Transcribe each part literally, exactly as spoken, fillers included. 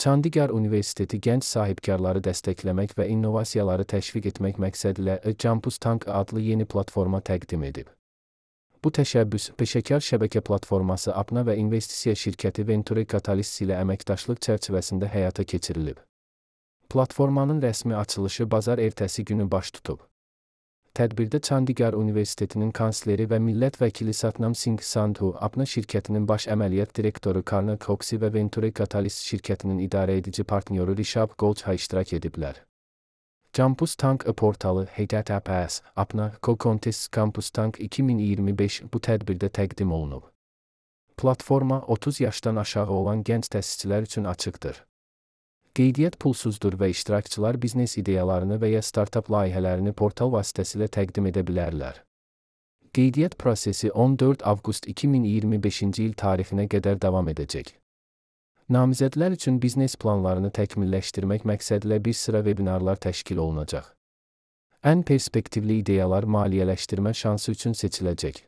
Çandigar Universiteti gənc sahibkarları dəstəkləmək və innovasiyaları təşviq etmək məqsədilə Campus Tank adlı yeni platforma təqdim edib. Bu təşəbbüs, peşəkar şəbəkə platforması Apna və investisiya şirkəti Venture Catalyst ilə əməkdaşlıq çərçivəsində həyata keçirilib. Platformanın rəsmi açılışı bazar ertəsi günü baş tutub. Tədbirdə Çandigar Universitetinin kansleri və millət vəkili Satnam Singh Sandhu, Apna şirkətinin baş əməliyyat direktoru Karna Coxi və Venture Catalyst şirkətinin idarəedici partnyoru Rishab Golcha iştirak ediblər. Campus Tank portalı H T T P S Apna Co-Contest Campus Tank iki min iyirmi beş bu tədbirdə təqdim olunub. Platforma otuz yaşdan aşağı olan gənc təsisçilər üçün açıqdır. Qeydiyyat pulsuzdur və iştirakçılar biznes ideyalarını və ya startup layihələrini portal vasitəsilə təqdim edə bilərlər. Qeydiyyat prosesi on dörd avqust iki min iyirmi beşinci il tarixinə qədər davam edəcək. Namizədlər üçün biznes planlarını təkmilləşdirmək məqsədilə bir sıra vebinarlar təşkil olunacaq. Ən perspektivli ideyalar maliyyələşdirmə şansı üçün seçiləcək.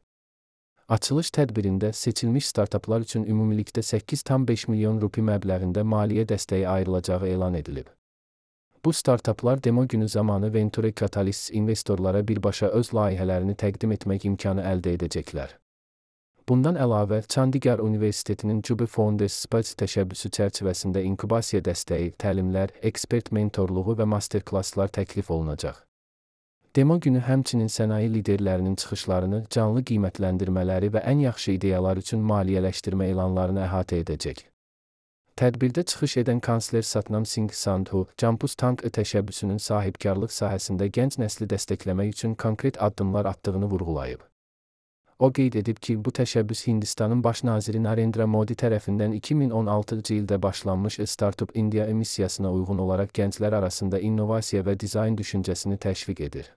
Açılış tədbirində seçilmiş startaplar üçün ümumilikdə səkkiz tam beş milyon rupi məbləğində maliyyə dəstəyi ayrılacağı elan edilib. Bu startaplar demo günü zamanı Venture Catalyst investorlara birbaşa öz layihələrini təqdim etmək imkanı əldə edəcəklər. Bundan əlavə, Çandigar Universitetinin Jubi Founders Space təşəbbüsü çərçivəsində inkubasiya dəstəyi, təlimlər, ekspert mentorluğu və masterklasslar təklif olunacaq. Demo günü həmçinin sənaye liderlərinin çıxışlarını, canlı qiymətləndirmələri və ən yaxşı ideyalar üçün maliyyələşdirmə elanlarını əhatə edəcək. Tədbirdə çıxış edən kansler Satnam Singh Sandhu, Campus Tank təşəbbüsünün sahibkarlıq sahəsində gənc nəsli dəstəkləmək üçün konkret addımlar atdığını vurğulayıb. O qeyd edib ki, bu təşəbbüs Hindistanın baş naziri Narendra Modi tərəfindən iki min on altıncı ildə başlanmış Startup India missiyasına uyğun olaraq gənclər arasında innovasiya və dizayn düşüncəsini təşviq edir.